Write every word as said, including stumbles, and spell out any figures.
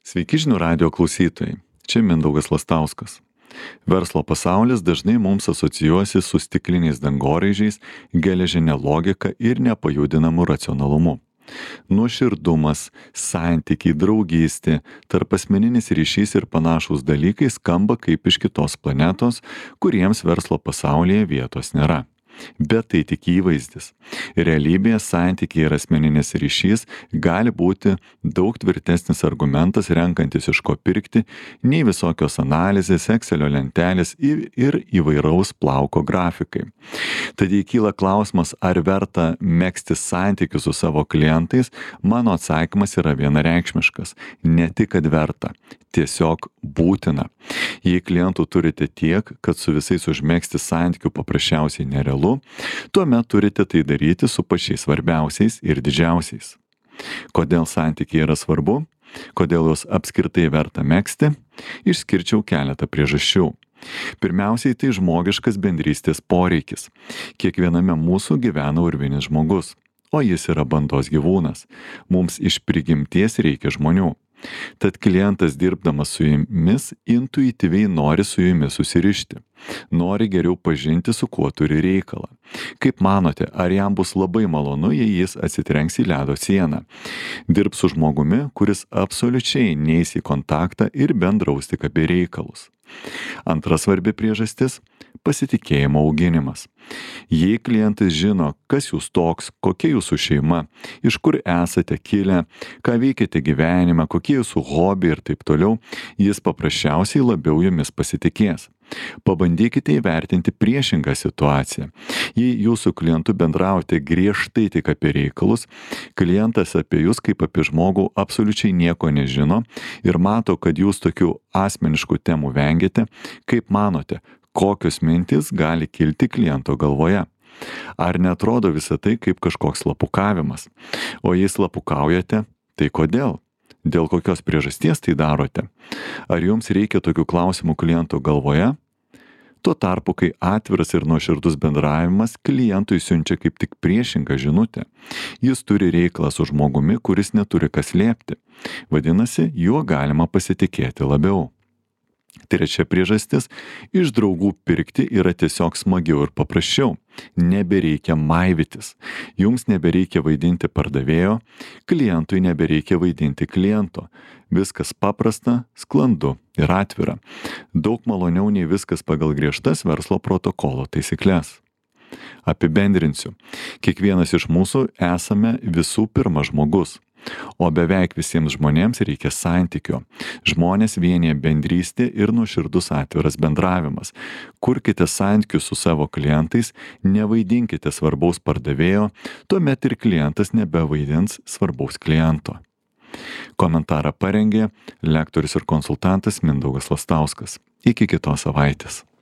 Sveiki žinių radijo klausytojai, čia Mindaugas Lastauskas. Verslo pasaulis dažnai mums asocijuosi su stikliniais dangoraižiais, geležinė logika ir nepajudinamu racionalumu. Nuoširdumas, santykiai, draugystė, tarpasmeninis ryšys ir panašūs dalykai skamba kaip iš kitos planetos, kuriems verslo pasaulyje vietos nėra. Bet tai tik įvaizdis. Realybėje santykiai ir asmeninis ryšys gali būti daug tvirtesnis argumentas renkantis iš ko pirkti, nei visokios analizės, Excelio lentelės ir, ir įvairaus plauko grafikai. Tad jei kyla klausimas, ar verta megzti santykius su savo klientais, mano atsakymas yra vienareikšmiškas. Ne tik, kad verta, tiesiog būtina. Jei klientų turite tiek, kad su visais užmegzti santykių paprasčiausiai nerealu, tuomet turite tai daryti su pačiais svarbiausiais ir didžiausiais. Kodėl santykiai yra svarbu? Kodėl juos apskritai verta megzti? Išskirčiau keletą priežasčių. Pirmiausiai, tai žmogiškas bendrystės poreikis. Kiekviename mūsų gyvena urvinis žmogus, o jis yra bandos gyvūnas. Mums iš prigimties reikia žmonių. Tad klientas dirbdamas su jumis intuityviai nori su jumis susirišti. Nori geriau pažinti, su kuo turi reikalą. Kaip manote, ar jam bus labai malonu, jei jis atsitrenks į ledo sieną? Dirbs su žmogumi, kuris absoliučiai neis į kontaktą ir bendraus tik apie reikalus. Antra svarbi priežastis - pasitikėjimo auginimas. Jei klientas žino, kas jūs toks, kokia jūsų šeima, iš kur esate kilę, ką veikiate gyvenime, kokie jūsų hobiai ir taip toliau, jis paprasčiausiai labiau jumis pasitikės. Pabandykite įvertinti priešingą situaciją. Jei jūsų klientu bendraujate griežtai tik apie reikalus, klientas apie jūs kaip apie žmogų absoliučiai nieko nežino ir mato, kad jūs tokių asmeniškų temų vengiate, kaip manote, kokios mintys gali kilti kliento galvoje? Ar netrodo visą tai kaip kažkoks slapukavimas? O jei slapukaujate, tai kodėl? Dėl kokios priežasties tai darote? Ar jums reikia tokių klausimų kliento galvoje? Tuo tarpu, kai atviras ir nuoširdus bendravimas klientui siunčia kaip tik priešingą žinutę. Jis turi reikalą su žmogumi, kuris neturi kas slėpti. Vadinasi, juo galima pasitikėti labiau. Trečia priežastis - iš draugų pirkti yra tiesiog smagiau ir paprasčiau. Nebereikia maivytis. Jums nebereikia vaidinti pardavėjo, klientui nebereikia vaidinti kliento. Viskas paprasta, sklandu ir atvira. Daug maloniau nei viskas pagal griežtas verslo protokolo taisyklės. Apibendrinsiu. Kiekvienas iš mūsų esame visų pirma žmogus. O beveik visiems žmonėms reikia santykio. Žmonės vienija bendrystė ir nuoširdus atviras bendravimas. Kurkite santykius su savo klientais, nevaidinkite svarbaus pardavėjo, tuomet ir klientas nebevaidins svarbaus kliento. Komentarą parengė lektorius ir konsultantas Mindaugas Lastauskas. Iki kitos savaitės.